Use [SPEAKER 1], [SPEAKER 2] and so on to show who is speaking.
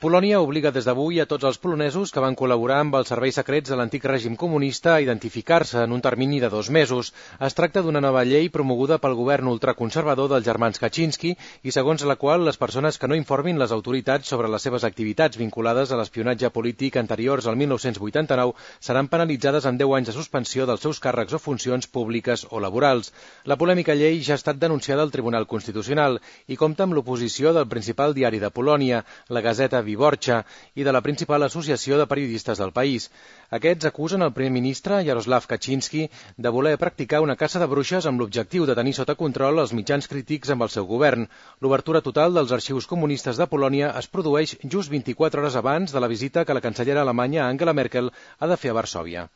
[SPEAKER 1] Polònia obliga des d'avui a tots els polonesos que van col·laborar amb els serveis secrets de l'antic règim comunista a identificar-se en un termini de 2 mesos. Es tracta d'una nova llei promoguda pel govern ultraconservador dels germans Kaczynski i segons la qual les persones que no informin les autoritats sobre les seves activitats vinculades a l'espionatge polític anteriors al 1989 seran penalitzades amb 10 anys de suspensió dels seus càrrecs o funcions públiques o laborals. La polèmica llei ja ha estat denunciada al Tribunal Constitucional i compta amb l'oposició del principal diari de Polònia, la Gazeta Wyborcza, i de la principal associació de periodistes del país. Aquests acusen el primer ministre, Jarosław Kaczynski, de voler practicar una caça de bruixes amb l'objectiu de tenir sota control els mitjans crítics amb el seu govern. L'obertura total dels arxius comunistes de Polònia es produeix just 24 hores abans de la visita que la cancellera alemanya Angela Merkel ha de fer a Varsòvia.